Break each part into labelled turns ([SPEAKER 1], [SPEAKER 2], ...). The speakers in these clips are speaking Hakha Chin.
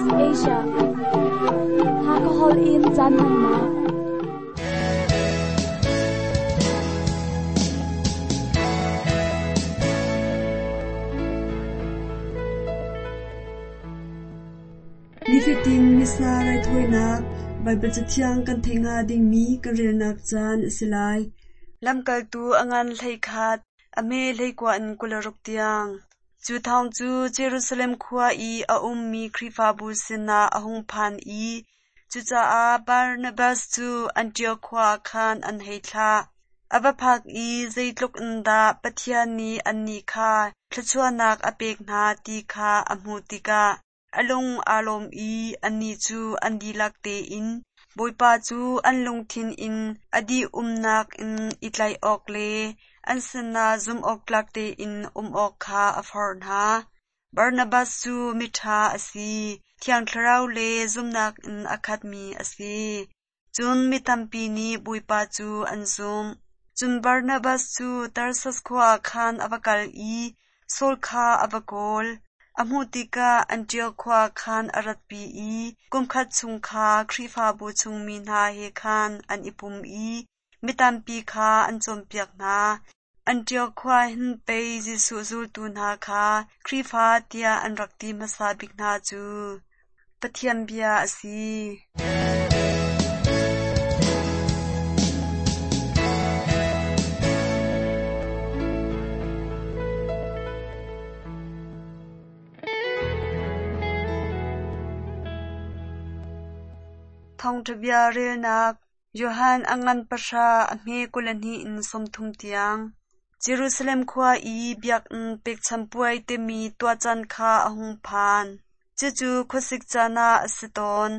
[SPEAKER 1] SBS Asia. Hakha holh in caan hmannak.
[SPEAKER 2] Nifatin Missa raithawinak Baibal Cathiang kan theih hnga dingmi kan relnak caan a si lai. Lamkaltu a ngan 11, a hme 19 in 26 tiang. Cu thawng cu Jerusalem khua i a ummi Khrihfabu sinah a hung phan i cucaah Barnabas cu Antiok khua ah khan an hei thlah. A va phak i zeitluk in dah Pathian nih annih kha thluachuahnak a pek hna ti kha a hmuh tikah a lung aa lawm i annih cu an dihlak tein Bawipa cu an lungthin in a dih-umnak in i tlaih awk le an sinah zumhawktlak tein um awk kha a forh hna. Barnabas cu miṭha a si, Thiang Thlarau le zumhnak in a khatmi a si. Cun mi tampi nih Bawipa cu an zumh. Cun Barnabas cu Tarsas khua ah khan a va kal i Saul kha a va kawl. A hmuh tikah Antiok khua ah khan a ratpi i kumkhat chung kha Khrihfabu chungmi hna he khan an i pum i mi tampi kha an cawnpiak hna. Antiok khua hin pei Jesuh zultu hna kha Khrihfa tiah an rak ti hmasa bik hna cu. Pathian bia a si. Thawngṭha bia relnak Johan a ngan pahra a hme 22 in 30 tiang. Jerusalem khua i biakinn pekchanh puai timi tuahcaan kha a hung phan. Cucu khuasik caan ah a si tawn.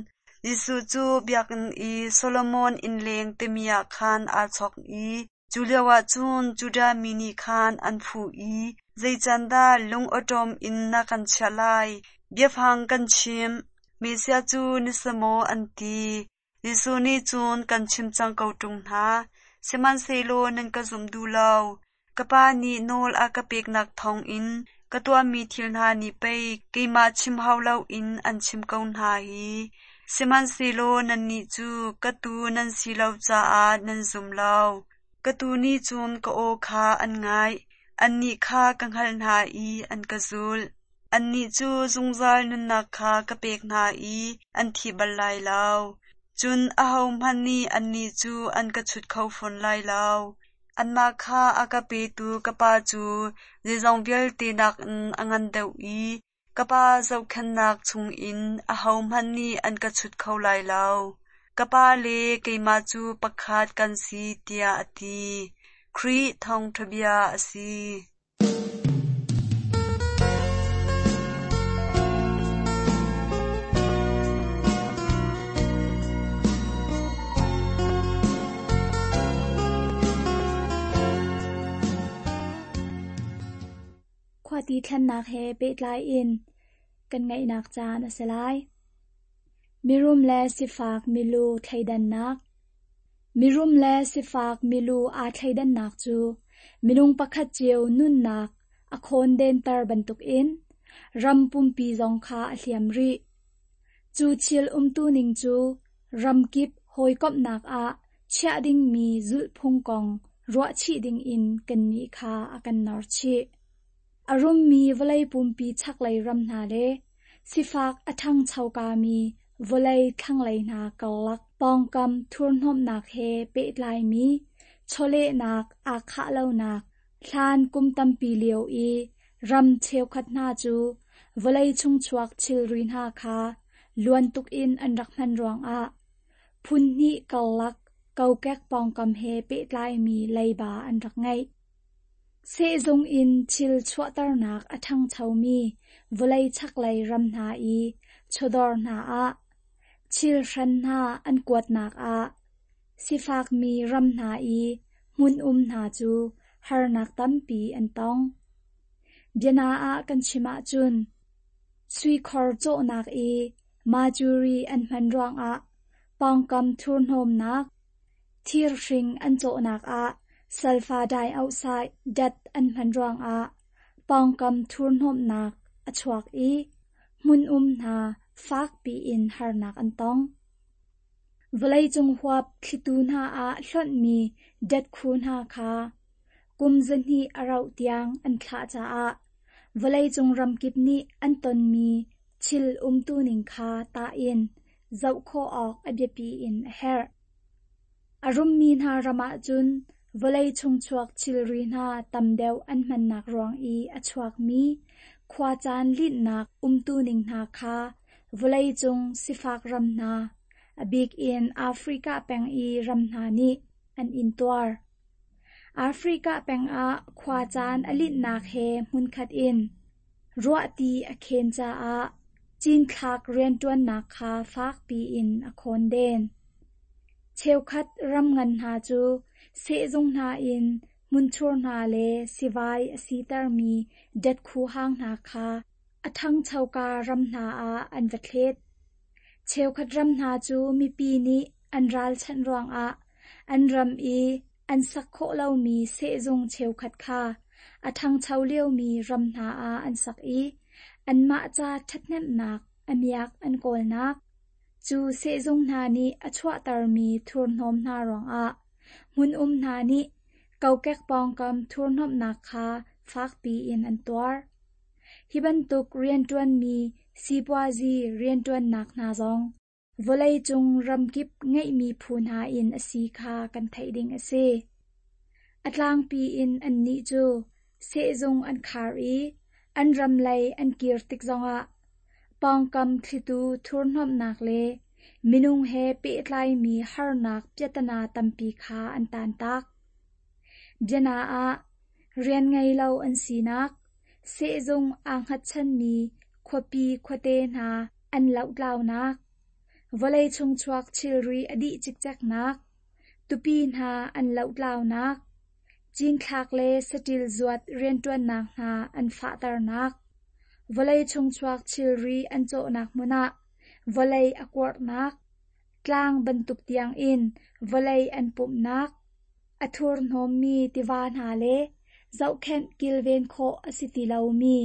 [SPEAKER 2] Jesuh cu biakinn i Solomon innleng timi ah khan aa chawk i cu lioah cun Judah mi nih khan an fuh i, Zei can dah lung awṭawm in na kan chiah lai? Biafang kan chim. Messiah cu na si maw? an ti. Jesuh nih cun kan chim cang ko ṭung hna, sihmanhsehlaw nan ka zum duh lo. Ka Pa nih nawl a ka peknak thawngin ka tuahmi thil hna nih pei keimah chim hau loin an chim ko hna hi. Sihmanhsehlaw nannih cu ka tuu nan si lo caah nan zum lo. Ka tuu nih cun ka aw kha an ngaih, annih kha ka hngalh hna i an ka zulh. Annih cu zungzal nunnak kha ka pek hna i an thi bal lai lo. Cun ahohmanh nih annih cu an ka chut kho fawn lai lo. Anmah kha a ka petu ka Pa cu zeizong vialte nakin a ngan deuh i ka Pa zohkhenhnak chungin ahohmanh nih an ka chut kho lai lo. Ka Pa le keimah cu pakhat kan si, tiah a ti. Khrih Thawngṭha bia a si.
[SPEAKER 1] Khuati thlennak he pehtlai in kan ngaihnak caan a si lai. Mirum le sifak milu thleidannak. Mirum le sifak milu aa thleidannak cu minung pakhat cio nunnak a khawndenter bantukin ram pumpi zong kha a hliam rih. Cu thil umtuning cu ramkip hawikomhnak ah chiah dingmi zulhphung kong ruahchih dingin kannih kha a kan norchih. A rummi vawlei pumpi chaklei ram hna le sifak a ṭhangchokami vawlei thlanglei hna karlak pawngkam thurhnawmhnak he pehtlaimi chawlehnak aa khah lonak hlan kum tampi lio i ram cheukhat hna cu vawlei chungchuak thilri hna kha luan tuk in an rak hman ruangah phun hnih karlak kokek pawngkam he pehtlaimi leiba an rak ngeih. Sehzung in thil chuahternak a ṭhangchomi vawlei chaklei ram hna i chawdawr hna ah thil hran hna an kuatnak ah sifakmi ram hna i hmun um hna cu harnak tampi an tong. Biana ah kan chim ahcun suikhor cawhnak i majuri an hman ruangah pawngkam thurhnawmnak, Thirhring an cawhnak ah sulfur dioxide dat an hman ruangah pawngkam thurhnawmhnak a chuak i hmun-um hna fakpi in harnak an tong. Vawleicung huap thlitu hna ah hlonhmi datkhu hna kha kum 200 a rauh tiang an thlah caah vawleicung ramkip nih an tonmi thil umtuning kha tah in zoh khawh awk a biapi in a herh. A rummi hna ram ahcun vawlei chungchuak thilri hna tam deuh an hmannak ruang i a chuakmi khuacaan linhnak umtuning hna kha vawleicung sifak ram hna, a bik in Africa peng i ram hna nih an intuar. Africa peng ah khuacaan a linhnak he hmunkhat in ruahti a khen caah cinthlak rianṭuannak kha fakpi in a khawnden. Cheukhat ram ngan hna cu sehzung hna in hmunthur hna le sivai a sitermi datkhu hang hna kha a ṭhangchoka ram hna ah an va thlet. Cheukhat ram hna cu mipi nih an ralchanh ruangah an ram i an sak khawh lomi sehzung cheukhat kha a ṭhangcho liomi ram hna ah an sak i anmah ca ṭhathnemhnak a miak an kawlnak. Cu sehzung hna nih a chuahtermi thurhnawm hna ruangah hmun-um hna nih kokek pawngkam thurhnawmhnak kha fakpi in an tuar. Hi bantuk rianṭuanmi sipuazi rianṭuannak hna zong vawleicung ramkip ngeihmi phu hna in a si kha kan theih ding a si. A tlangpi in annih cu sehzung an khar i an ram lei an kir tik zongah pawngkam thlitu thurhnawmhnak le minung he pehtlaimi harnak piahtana tampi kha an taantak. Biana ah, rian ngei lo an sinak, sehzung aa hngatchanmi khuapi khuate hna an lohtlaunak, vawlei chungchuak thilri a dih cikceknak, tupi hna an lohtlaunak, cinthlak le saṭil zuat rianṭuannak hna an fahternak, vawlei chungchuak thilri an cawhnak hmun ah vawlei a kuarhnak, tlang bantuk tiangin vawlei an pumhnak, a thurhnawmmi tiva hna le zohkhenh kilven khawh a si ti lomi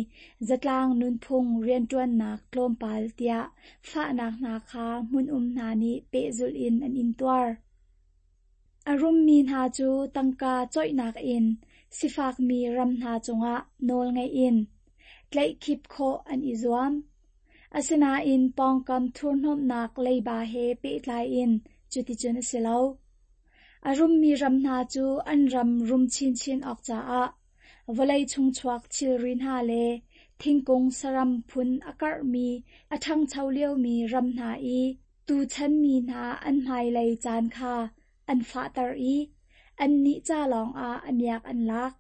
[SPEAKER 1] zatlang nunphung rianṭuannak tlawmpal tiah fahnak hna kha hmun-um hna nih pehzulh in an intuar. A rummi hna cu tangka coihnak in sifakmi ram hna cungah nawlngeih in tlaihkhip khawh an i zuam. Asinain pawngkam thurhnawmhnak leiba he pehtlai in cuticun a si lo. A rummi ram hna cu an ram rum chinchin awk caah vawlei chungchuak thilri hna le thingkung saram phun a karhmi a ṭhangcho liomi ram hna i tuchan mi hna an hmailei caan kha an fahter i annih ca lawngah a miak an lak.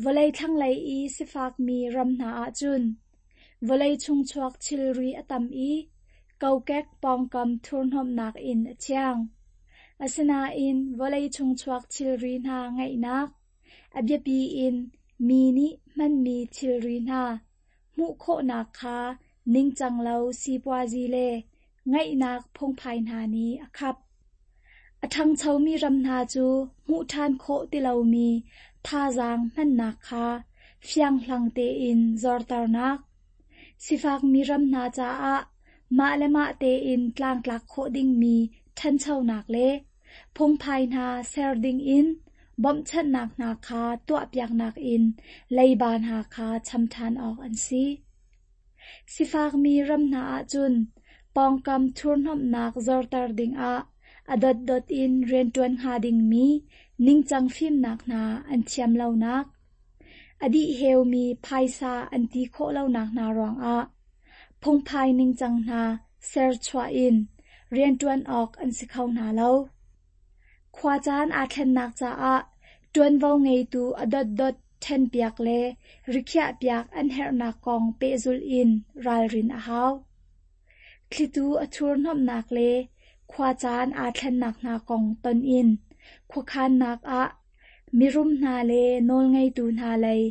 [SPEAKER 1] Vawlei thlanglei i sifakmi ram hna ahcun vawlei chungchuak thilri a tam i kokek pawngkam thurhnawmhnak in a thiang. Asinain vawlei chungchuak thilri hna ngeihnak, a biapi in mi nih hmanmi thilri hna hmuh khawhnak kha ningcang lo sipuazi le ngaihnak phungphai hna nih a khap. A ṭhangchomi ram hna cu hmuh ṭhan khawh ti lomi thazaang hmannak kha fianghlang tein zorternak, sifakmi ram hna caah mah le mah tein tlangtlak khawh dingmi ṭhanchonak le phungphai hna ser dingin bawmhchanhnak hna kha tuahpiaknak in leiba hna kha cham ṭhan awk an si. Sifakmi ram hna ahcun pawngkam thurhnawmhnak zorter dingah a dotdot in rianṭuan hnga dingmi ningcang fimnak hna an thiam lonak, a dihheumi phaisa an ti khawh lonak hna ruangah phungphai ningcang hna serchuah in rianṭuan awk an si kho hna lo. Khuacaan aa thlennak caah ṭuanvo ngeitu a dotdot ṭhenpiak le rikhiahpiak an herhnak kong pehzulh in ralrin a hau. Thlitu a thurhnawmhnak le khuacaan aa thlennak hna kong ton in khuakhannak ah mirum hna le nawlngeitu hna lei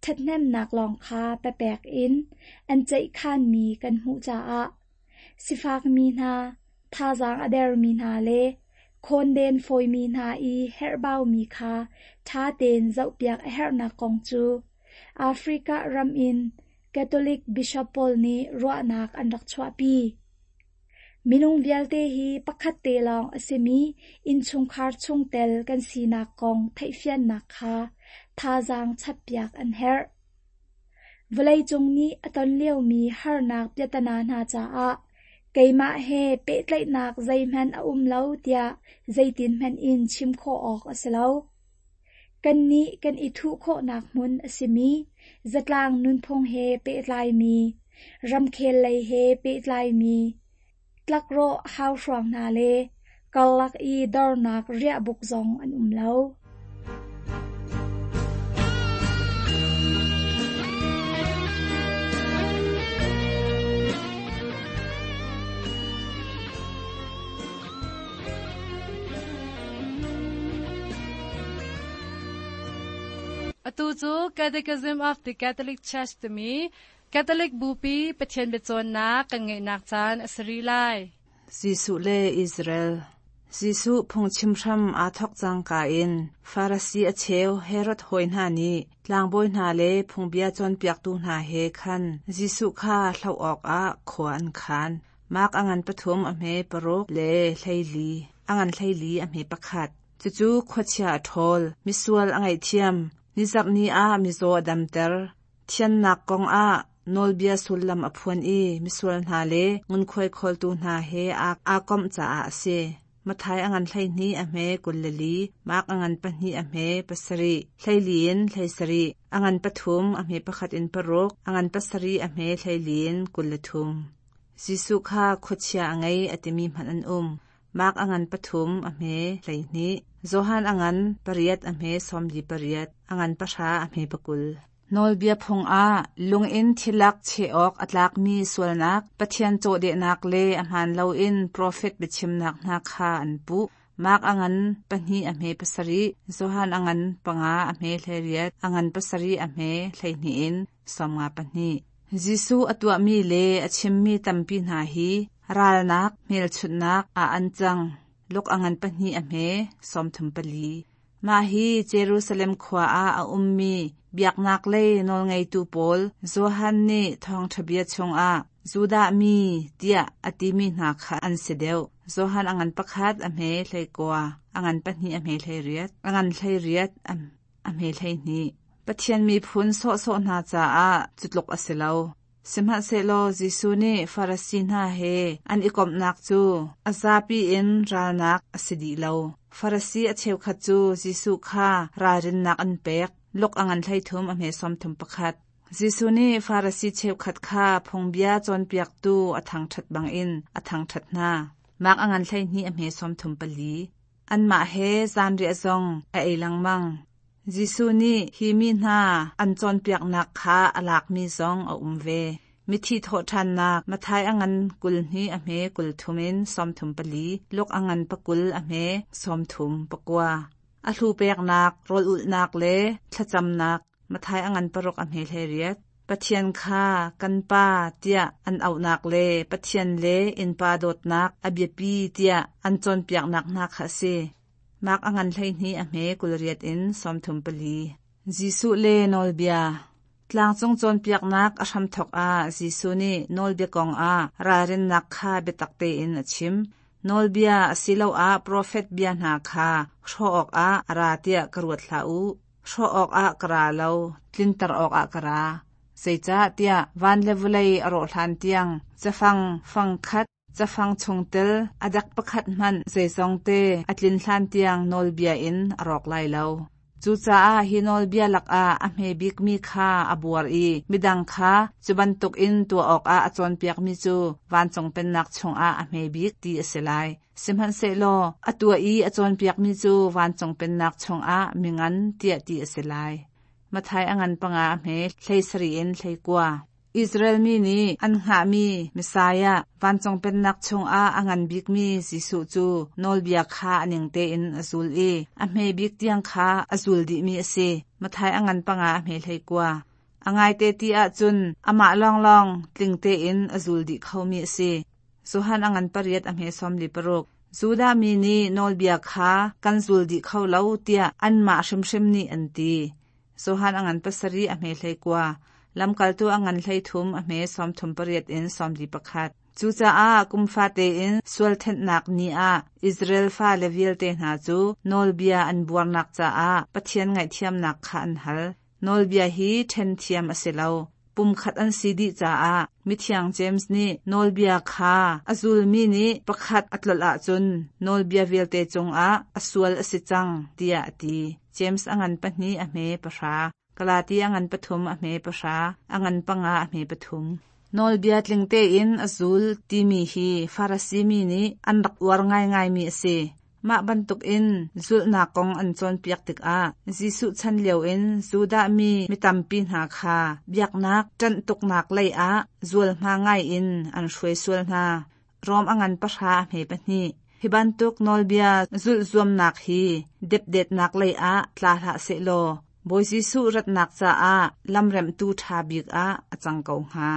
[SPEAKER 1] ṭhathnemnak lawng kha papek in an ceihkhanmi kan hmuh caah sifakmi hna, thazaang a dermi hna le khawnden fawimi hna i herhbaumi kha ṭha tein zohpiak a herhnak kong cu Africa ram in Catholic Bishop pawl nih ruahnak an rak chuahpi. Minung vialte hi pakhat te lawng a simi innchungkhar chungtel kan sinak kong theihfiannak kha thazaang chappiak an herh. Vawleicung nih a ton liomi harnak piahtana hna caah keimah he pehtlaihnak zeihmanh a um lo tiah zeitinhmanh in chim khawh awk a si lo. Kannih kan i thuh khawhnak hmun a simi zatlang nunphung he pehtlaimi, ramkhel lei he pehtlaimi, tlakrawh hauhruang hna le karlak i dornak riahbuk zong an um lo.
[SPEAKER 3] Atu cu Catechism of the Catholic Church timi Catholic Bupi Pathian biacawnnak kan ngeihnak caan a si rih lai.
[SPEAKER 4] Jesuh le Israel Jesuh phungchim hram aa thawk cangka in Farasi a cheu Herod hawi hna nih tlangbawi hna le phungbia cawnpiaktu hna he khan Jesuh kha hloh awkah khua an khan. Mark a ngan pathum a hme paruk le 14, a ngan 14 a hme pakhat. Cucu khuachia a ṭhawl, misual a ngaihthiam, nizarh ni ah mizaw a damter, thiannak kong ah nawlbia sullam a phuan i misual hna le ngunkhuai khawltu hna he aa komh caah a si. Matthai a ngan 12 a hme 24, Mark a ngan pahnih a hme pasarih, 14 in 17, a ngan pathum a hme pakhat in paruk, a ngan pasarih a hme 14 in 23. Jesuh kha khuachia a ngei a timi hmanh an um. Mark a ngan pathum a hme 12, Johan a ngan pariat a hme 48, a ngan pahra a hme pakul. Nawlbia phung ah lungin thilak cheh awk a tlakmi sualnak, Pathian cawhdehnak le a hmaan loin profet biachimnak hna kha an puh. Mark a ngan pahnih a hme pasarih, Johan a ngan panga a hme 18, a ngan pasarih a hme 12 in 52. Jesuh a tuahmi le a chimmi tampi hna hi ralnak hmelchunhnak ah an cang. Luk a ngan pahnih a hme 34. Mah hi Jerusalem khua ah a ummi biaknak lei nawlngeitu pawl Johan nih thawngṭha bia chungah Judah mi tiah a timi hna kha an si deuh. Johan a ngan pakhat a hme 19, a ngan pahnih a hme 18, a ngan 18 a hme 12. Pathian miphun sawhsawh hna caah cu tluk a si lo. Sihmanhsehlaw Jesuh nih Farasi hna he an i komhnak cu a zapi in ralnak a si dih lo. Farasi a cheukhat cu Jesuh kha ralrinnak an pek. Luk a ngan 33 a hme 31. Jesuh nih Farasi cheukhat kha phungbia cawnpiaktu a thangṭhat bangin a thangṭhat hna. Mark a ngan 12 a hme 34. Anmah he zanriah zong a ei lengmang. Jesuh nih hi mi hna an cawnpiaknak kha a lakmi zong a um ve. Mithi thawhṭhannak Matthai a ngan 22 a hme 30 in 34, Luke a ngan pakul a hme 39. A hlu peknak, rawl ulhnak le thlacamnak Matthai a ngan paruk a hme 18. Pathian kha kan Pa tiah an auhnak le Pathian le innpa dawtnak a biapi tiah an cawnpiaknak hna kha a si. Mark a ngan 12 a hme 28 in 34. Jesuh le nawlbia Tlangcung cawnpiaknak a hramthawk ah Jesuh nih nawlbia kong ah ralrinnak kha biatak tein a chim. Nawlbia asiloah profet bia hna kha hrawh awkah a ra tiah ka ruat hlah u. Hrawh awkah ka ra lo, tlinter awkah ka ra. Zeicahtiah van le vawlei a rawh hlan tiang cafang fangkhat Cafang chungtel a dek pakhat hmanh zeizongte a tlin hlan tiang nawlbia in a rawk lai lo. Cucaah hi nawlbia lakah a hme bikmi kha a buar i midang kha cu bantukin tuah awkah a cawnpiakmi cu vancung pennak chungah a hme bik ti a si lai. Sihmanhsehlaw a tuah i a cawnpiakmi cu vancung pennak chungah mingan tiah ti a si lai. Matthai a ngan panga a hme 17 in 19. Israel mi nih an hngahmi Messiah, vancung pennak chungah a ngan bikmi Jesuh cu nawlbia kha a ning tein a zul i a hme bik tiang kha a zul dihmi a si. Matthai a ngan panga a hme 19. A ngaite ti ahcun amah lawnglawng tling tein a zul dih khomi a si. Johan a ngan pariat a hme 46. Judah mi nih nawlbia kha kan zul dih kho lo tiah anmah hrimhrim nih an ti. Johan a ngan pasarih a hme 19. Lamkaltu a ngan 13 a hme 38 in 41. Cucaah kum fate in sual thenhnak ni ah Israel fale vialte hna cu nawlbia an buarnak caah Pathian ngaihthiamnak kha an hal. Nawlbia hi ṭhen thiam a si lo. Pumkhat an si dih caah mithiang James nih nawlbia kha a zulmi nih pakhat a tlolh ahcun nawlbia vialte cungah a sual a si cang tiah a ti. James a ngan 2 a hme 10. Galati a ngan 3 a hme 10, a ngan 5 a hme 3. Nawlbia tling tein a zul timi hi Farasi mi nih an rak uar ngaingaimi a si. Mah bantukin zulhnak kong an cawnpiak tikah Jesuh chan lioin Judah mi mi tampi hna kha biaknak ṭanh tuknak lei ah zualhma ngaiin an hruai sual hna. Rom a ngan 10 a hme 2. Hi bantuk nawlbia zulh zuamnak hi depdetnak lei ah tla hlah sehlaw Bawi Jesuh ratnak caah lamremhtu ṭha bik ah a cang ko hnga.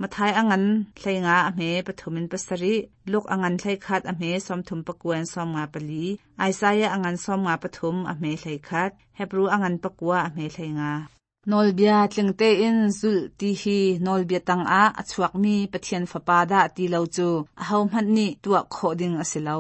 [SPEAKER 4] Matthai a ngan 15 a hme 3 in 7, Luke a ngan 11 a hme 39 in 54, Isaiah a ngan 53 a hme 11, Hebru a ngan 9 a hme 15. Nawlbia tling tein zulh ti hi nawlbia tangah a chuakmi Pathian Fapa dah ti lo cu ahohmanh nih tuah khawh ding a si lo.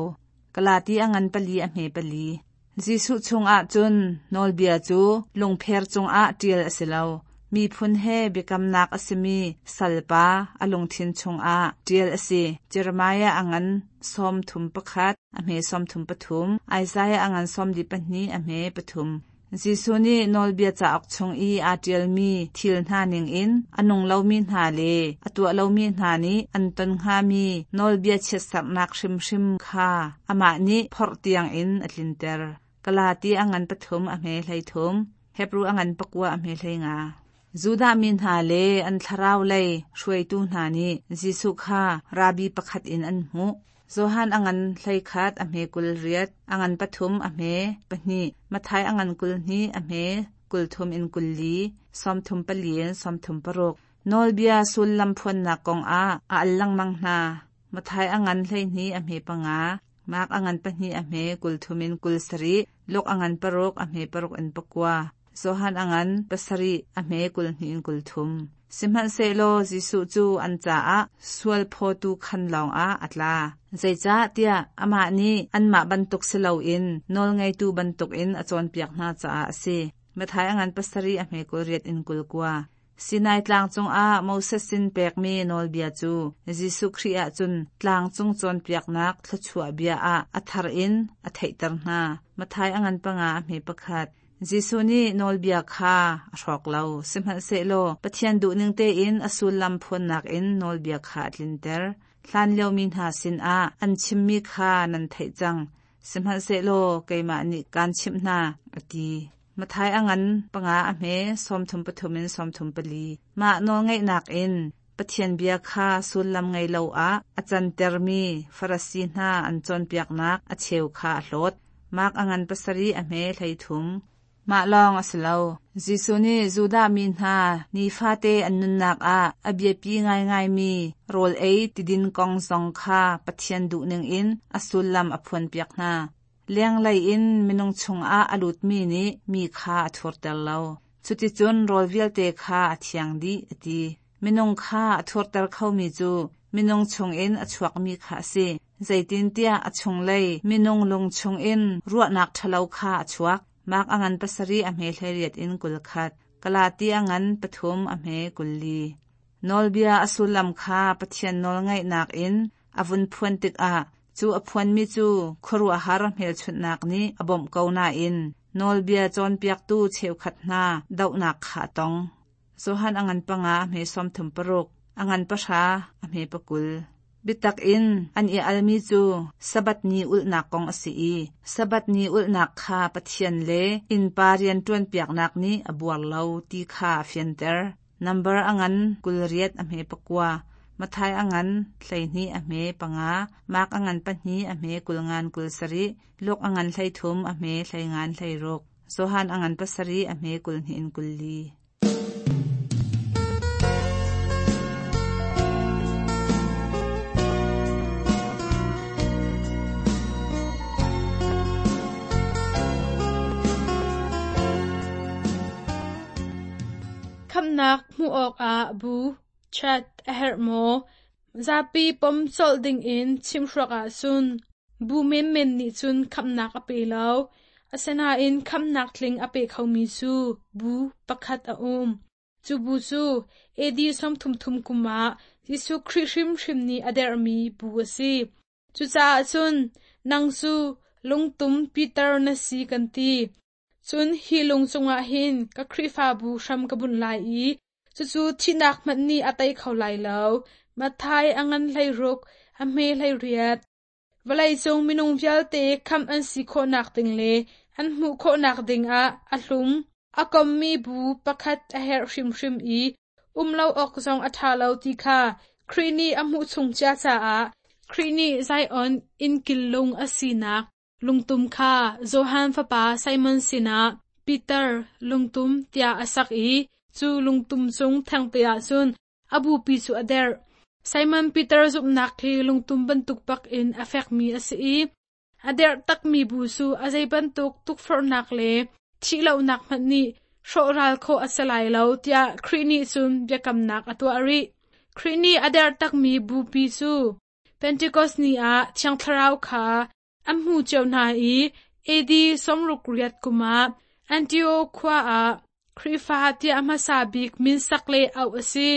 [SPEAKER 4] Galati a ngan 4 a hme 4. Jesuh chungah cun nawlbia cu lungpher cungah ṭial a si lo. Miphun he biakamnak a simi salpa a lungthin chungah ṭial a si. Jeremiah a ngan 31, a hme 33, Isaiah a ngan 42, a hme 3. Jesuh nih nawlbia cauk chung i aa ṭialmi thil hna ningin a nung lomi hna le a tuah lomi hna nih an ton hngami nawlbia chiatserhnak hrimhrim kha amah nih phorh tiangin a tlinter. Galati a ngan 3 a hme 13, Hebru a ngan 9 a hme 15. Judah mi hna le an thlarau lei hruaitu hna nih Jesuh kha rabbi pakhat in an hmuh. Johan a ngan 11 a hme 28, a ngan 3 a hme 2, Matthai a ngan 22 a hme 30 in 24, 34 in 36. Nawlbia sullam phuannak kong ah a al lengmang hna. Matthai a ngan 12 a hme 5, Mark a ngan 2 a hme 30 in 27, Luke a ngan 6 a hme 6 in 9. Johan a ngan 7 a hme 22 in 33. Sihmanhsehlaw Jesuh cu an caah sual phawtu khan lawngah a tla. Zeicahtiah amah nih anmah bantuk si loin nawlngeitu bantukin a cawnpiak hna caah a si. Matthai a ngan 7 a hme 28 in 29. Sinai tlang cungah Moses sin pekmi nawlbia cu Jesuh Khrih ah cun tlangcung cawnpiaknak thluachuah bia ah a thar in a theihter hna. Matthai a ngan 5 a hme 1. Jesuh nih nawlbia kha a hrawk lo, sihmanhsehlaw Pathian duhning tein a sullam phuannak in nawlbia kha a tlinter. Hlanlio mi hna sinah an chimmi kha nan theih cang, sihmanhsehlaw keimah nih kaan chimh hna, a ti. Matthai a ngan 5 a hme 33 in 34. Mah nawlngaihnak in Pathian bia kha sullam ngei lo ah a cantermi Farasi hna an cawnpiaknak a cheu kha a hlawt. Mark a ngan 7 a hme 13. Mah lawng a si lo. Jesuh nih Judah mi hna nifate an nunnak ah a biapi ngaingaimi rawl ei tidin kong zong kha Pathian duhning in a sullam a phuanpiak hna. Lenglei in minung chungah a lutmi nih mi kha a thurter lo. Cuticun rawl vialte kha a thiang dih, a ti. Minung kha a thurter khomi cu minung chungin a chuakmi kha a si. Zeitintiah a chunglei minung lung chungin ruahnak ṭhalo kha a chuak. Mark a ngan 7 a hme 18 in 21, Galati a ngan 3 a hme 24. Nawlbia a sullam kha Pathian nawlngaihnak in a vun phuan tikah cu a phuanmi cu khuaruahhar hmelchunhnak nih a bawmh ko nain nawlbia cawnpiaktu cheukhat hna dohnak kha a tong. Johan a ngan 5 a hme 36, a ngan 10 a hme 20. Biatak in an i almi cu Sabbath ni ulhnak kong a si i Sabbath ni ulhnak kha Pathian le innpa rian ṭuanpiaknak nih a buar lo ti kha a fianter. Nambar a ngan 28 a hme 9, Matthai a ngan 12 a hme 5, Mark a ngan 2 a hme 50 27, Luke a ngan 33 a hme 50 16, Johan a ngan 7 a hme 22 in 24.
[SPEAKER 3] Khamhnak
[SPEAKER 5] hmuh awkah bu, chat, a herh maw? Zapi pom colh dingin chimhruak ahcun bu menmen nih cun khamhnak a pe lo. Asinain khamhnak tling a pe khomi cu bu pakhat a um. Cu bu cu AD 33 kum ah Jesuh Khrih hrimhrim nih a derhmi bu a si. Cucaah cun nang cu lungtum Peter na si kan ti. Cun hi lung cungah hin ka Khrihfabu hram ka bunh lai i cucu thihnak hmanh nih a tei kho lai lo. Matthai a ngan 16, a hme 18. Vawleicung minung vialte khamh an si khawhnak ding le an hmuh khawhnak dingah a hlum, a kommi bu pakhat a herh hrimhrim i um lo awk zong a ṭha lo ti kha Khrih nih a hmuh chung cia caah Khrih nih Zion innkil lung a sinak lungtum kha Johan fapa Simon sinah Peter lungtum tiah a sak i cu lungtum cung thengte ah cun a bupi cu a derh. Simon Peter zumhnak hi lungtum bantuk bak in a fekmi a si i a derh takmi bu cu a zei bantuk tukforhnak le thihlohnak hmanh nih hrawhral khawh a si lai lo tiah Khrih nih cun biakamnak a tuah rih. Khrih nih a derh takmi bupi cu Pentecost ni ah Thiang Thlarau kha an hmu cio hna i AD 68 kum ah Antioch khua ah Khrihfa tiah hmasa bik min sak le auh a si.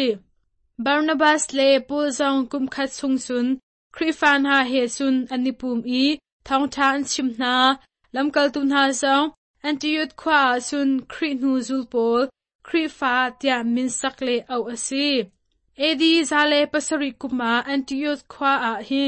[SPEAKER 5] Barnabas le Paul zong kum khat chung cun Khrihfa hna he cun an i pum i thawngṭha an chim hna. Lamkaltu hna zong Antioch khua ah cun Khrih hnu zul pawl Khrihfa tiah min sak le auh a si. AD 107 kum ah Antioch khua ah hi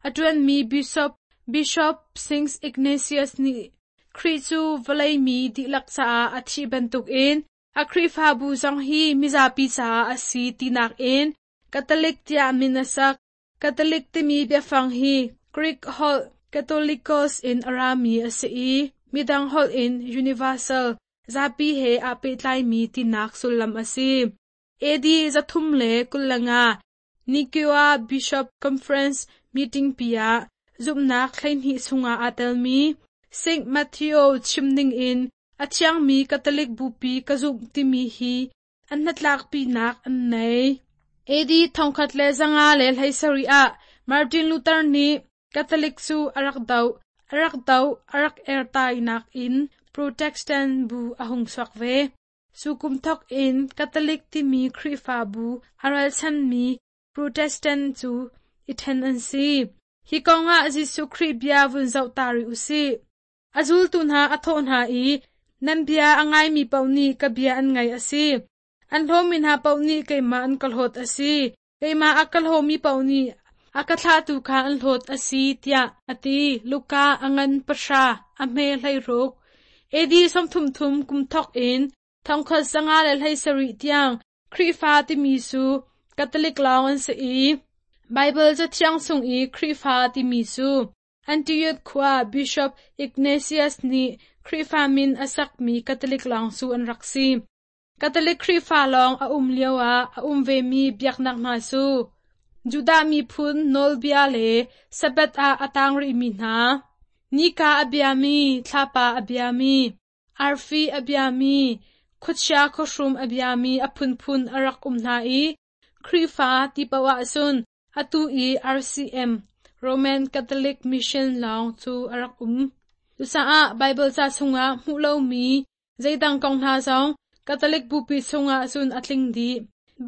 [SPEAKER 5] a ṭuanmi Bishop Bishop Saint Ignatius nih Khrih cu vawlei mi dihlak caah a thih bantukin a Khrihfabu zong hi mizapi caah a si tinak in Catholic tiah min a sak. Catholic timi biafang hi Greek holh Katholikos in a rami a si i midang holh in universal, zapi he aa pehtlaimi tinak sullam a si. AD 325 Nicaea Bishop Conference meeting pi ah zumhnak 12 chungah aa telmi Saint Matthew chim ningin a thiangmi Catholic bupi ka zumh timi hi an hnatlakpinak an nei. AD 1517 ah Martin Luther nih Catholic cu a rak doh, a rak doh, a rak ertainak in Protestant bu a hung chuak ve. Cu kum thawk in Catholic timi Khrihfabu a ralchanmi Protestant cu i ṭhen an si. Hi kongah Jesuh Khrih bia vun zoh ta rih u sih. A zultu hna a thawh hna i, Nan bia a ngaimi paoh nih ka bia an ngaih a si. An hlawmi hna paoh nih keimah an ka hlawt a si. Keimah a ka hlawmi paoh nih a ka thlahtu kha an hlawt a si, tiah a ti. Luka a ngan 10, a hme 16. AD 33 kum thawk in 1517 tiang Khrihfa timi cu Catholic lawng an si i Baibal Cathiang chung i Khrihfa timi cu Antioch khua Bishop Ignatius nih Khrihfa min a sakmi Catholic lawng cu an rak si. Catholic Khrihfa lawng a um lioah a um vemi biaknak hna cu Judah miphun nawlbia le Sabbath ah a tang rihmi hna, nika a biami, thlapa a biami, arfi a biami, khuachia khuahrum a biami a phunphun a rak um hna i Khrihfa ti paoh ahcun atu i RCM, Roman Catholic Mission lawng cu a rak um. Cucaah Baibal ca chungah hmuh lomi zeidang kong hna zong Catholic bupi chungah cun a tling dih.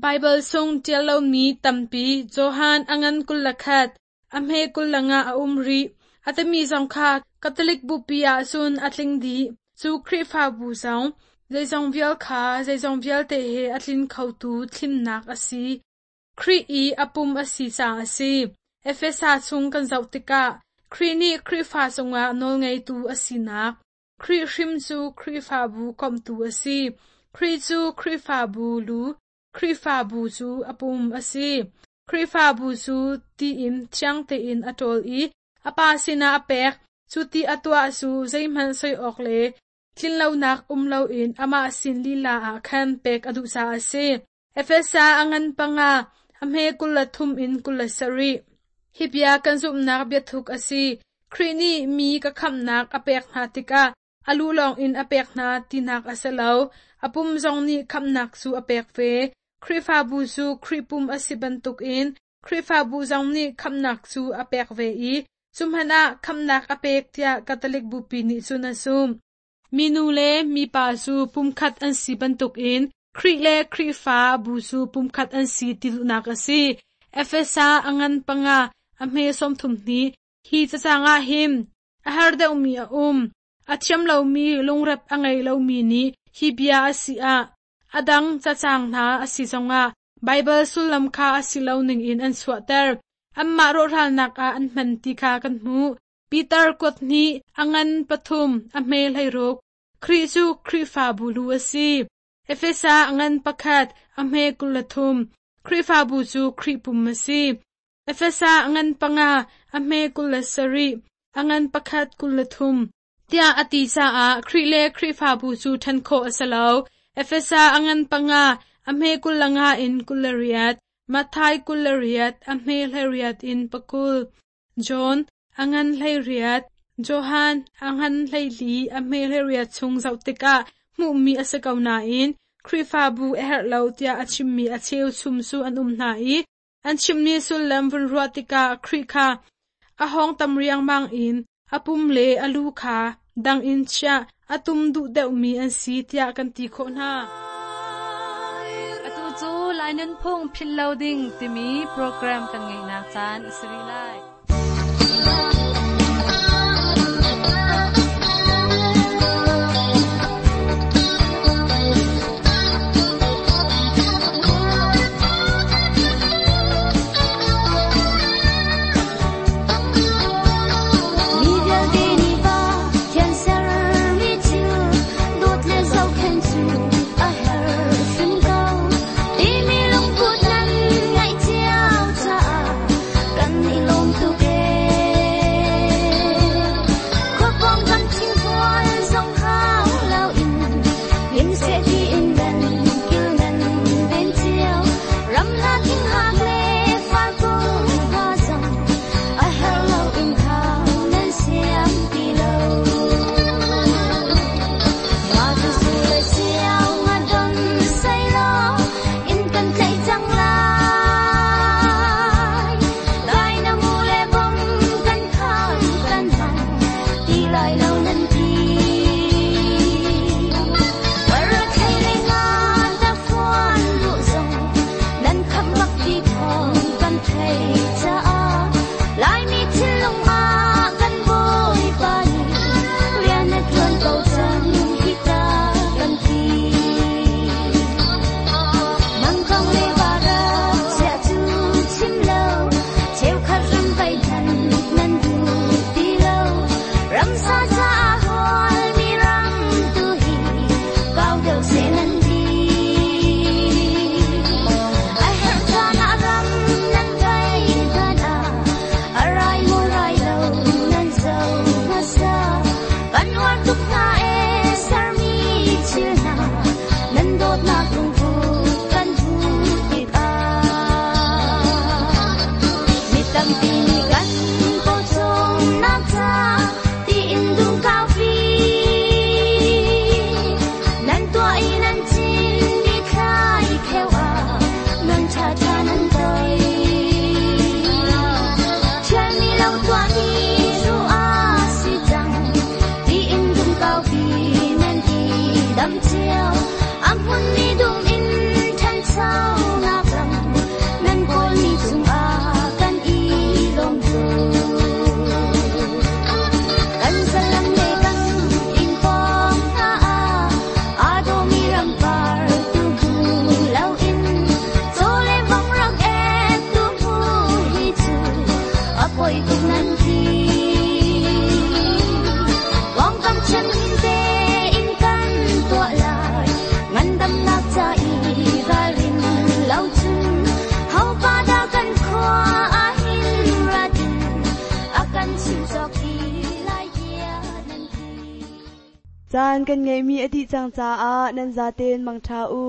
[SPEAKER 5] Baibal chung ṭial lomi tampi Johan a ngan 21, a hme 25 a um rih. A timi zong kha Catholic bupi ah cun a tling dih. Cu Khrihfabu zong zeizong vial kha zeizong vialte he a tlin khotu thlimnak a si. Khrih i a pum a si caah a si. Efesa chung kan zoh tikah Khrih nih Khrihfa cungah nawlngeitu a sinak, Khrih hrim cu Khrihfabu komhtu a si. Khrih cu Khrihfabu lu, Khrihfabu cu a pum a si. Khrihfabu cu ti in thiang tein a ṭawl i a Pa sinah a pek. Cu ti a tuah cu zeihmanh soi awk le tlinlonak um loin amah sin lila ah khan pek a duh caah a si. Efesa a ngan 5, a hme 23 in 27. Hi bia kan zumhnak biathuk a si. Khrih nih mi ka khamhnak a pek hna tikah a lu lawngin a pek hna tinak a si lo. A pum zong nih khamhnak cu a pek ve. Khrihfabu cu Khrih pum a si bantukin Khrihfabu zong nih khamhnak cu a pek ve i cu hmanh ah khamhnak a pek tiah Catholic Bupi nih cun a zumh. Minu le mipa cu pumkhat an si bantukin Khrih le Khrihfa bu cu pumkhat an si ti duhnak a si. Efesa a ngan panga a hme 32. Hi cacang ah hin a har deuhmi a um. A thiam lomi lungrep a ngei lomi nih hi bia a si ah a dang cacang hna a si zongah Baibal sullam kha a si lo ningin an chuahter. Anmah rawhralnak ah an hman ti kha kan hmuh. Peter kuat hnih, a ngan pathum, a hme 16. Khrih cu Khrihfabu lu a si. Efesa a ngan pakhat, a hme 23. Khrihfabu cu Khrih pum a si. Efesa a ngan panga, a hme 27, a ngan pakhat 23. Tiah a ti caah Khrih le Khrihfabu cu ṭhen khawh a si lo. Efesa a ngan panga, a hme 25 in 28, Matthai 28, a hme 18 in 20. John a ngan 18, Johan a ngan 14, a hme 18 chung zoh tikah hmuhmi a si ko nain Khrihfabu a herh lo tiah a chimmi a cheu chum cu an um hna i an chimmi sullam vun ruah tikah Khrih kha a hawng tam riangmang in a pum le a lu kha dang in chiah a tum duh deuhmi an si tiah kan ti khawh hna.
[SPEAKER 3] Atu cu Lai Nunphung Philh Lo Ding timi program kan ngeihnak caan a si rih lai.
[SPEAKER 6] Mi vialte nih Pathian sermi thil dawt le zohkhenh cu a herh hrim ko. Timi lungput nan ngeih cio caah kan i lawm tuk ee. Khuapawng kan thingkual zong hau loin him seh tiin nan kil nan ven cio. Ramhla thinghak le farkung hna zong a herh loin hau nan siam ti lo. Mah cu su le sio nga don sehlaw inn kan tlaih cang lai. Dai na mu le bom kan khan kan hmang ti lai lo nan ti. Parathei le nga tafuan duh zong nan khamh bak ti thawng kan theih caah Laimi thinlung ah kan Bawipa nih rian a ṭuan ko cang hi ta kan ti. Mangkong le varak chiah cu chim lo, cheukhat ram vai than nan duh ti lo. Ramsa caah hualmi ram tu hi kau deuh seh nan ti. A herh caan ah ram nan vai hmanh ah, a rai maw rai lo nan zoh hmasa. Kan uar tuk hna ee sermi thil hna, nan dawtnak lungput kan hmuh tikah. Mi tampi nih kan pawcawmnak ca tiin dum kaupi. Nan tuah i nan cinmi thlai kheu ah nan ṭhaṭha nan toi. Ṭhialmi lo tuahmi ruah ah si cang, tiin dum kaupi nan i dam cio. A hmunmi dum in ṭhanchonak lam nan kawlmi cungah kan i lawm tuk. Kan zalam le kan inn pawng hna ah aa dawhmi rampar tu hmu loin caw le vong rak ek tu hmu hi cu a poi tuk nan ti. Pawngkam thianghlim tein kan tuah lai, ngandamnak ca i ralrin lo cun hopa dah kan khua ah hin ra ding a kan chim cawk ti lai tiah nan ti.
[SPEAKER 2] Caan kan ngeihmi a dih cang caah nan zaten mangṭha u.